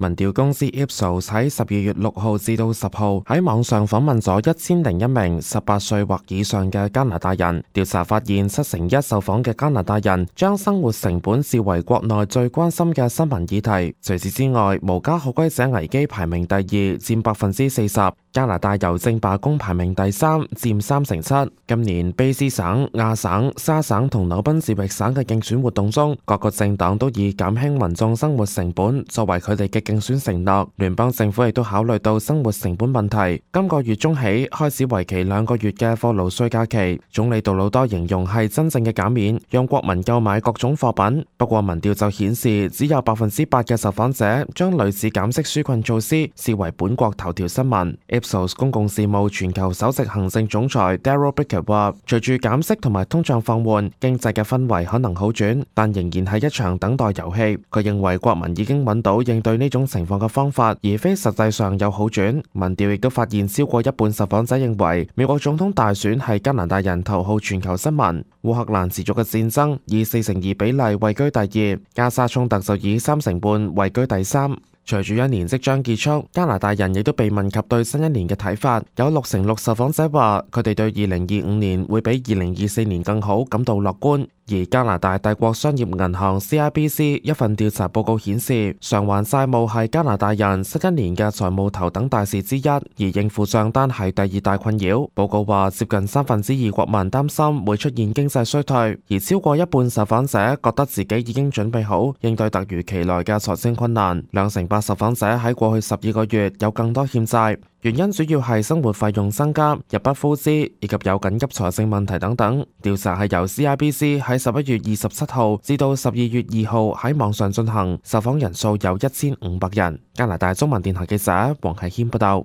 民調公司 Ipsos 喺12月6號至到10號喺網上訪問咗1001名18歲或以上嘅加拿大人，調查發現71%受訪嘅加拿大人將生活成本視為國內最關心嘅新聞議題。除此之外，無家可歸者危機排名第二，佔40%。加拿大郵政罷工排名第三，佔37%。今年卑斯省、亞省、沙省同紐賓士域省嘅競選活動中，各個政黨都以減輕民眾生活成本作為佢哋嘅競選承諾。聯邦政府亦都考慮到生活成本問題，今個月中起開始為期2個月嘅貨勞稅假期。總理杜魯多形容係真正嘅減免，讓國民購買各種貨品。不過民調就顯示，只有8%嘅受訪者將類似減息紓困措施視為本國頭條新聞。Ipsos 公共事務全球首席行政總裁 Darryl Bricker 話，隨住減息同埋通脹放緩，經濟嘅氛圍可能好轉，但仍然係一場等待遊戲。佢認為國民已經揾到應對呢種情況嘅方法，而非實際上有好轉。民調亦都發現超過一半受訪者認為美國總統大選係加拿大人頭號全球新聞。烏克蘭持續嘅戰爭以42%比例位居第二，加沙衝突就以3.5%位居第三。隨住一年即將結束，加拿大人亦都被問及對新一年嘅睇法，有6%受訪者話佢哋對2025年會比2024年更好感到樂觀。而加拿大帝國商業銀行 CIBC 一份調查報告顯示，償還債務係加拿大人新一年嘅財務頭等大事之一，而應付賬單係第二大困擾。報告話，接近2/3國民擔心會出現經濟衰退，而超過一半受訪者覺得自己已經準備好應對突如其來嘅財政困難。2%受訪者喺過去12個月有更多欠債。原因主要係生活費用增加、入不敷支以及有緊急財政問題等等。調查係由 CIBC 喺11月27號至到12月2號喺網上進行，受訪人數有1500人。加拿大中文電台記者黃啟謙報道。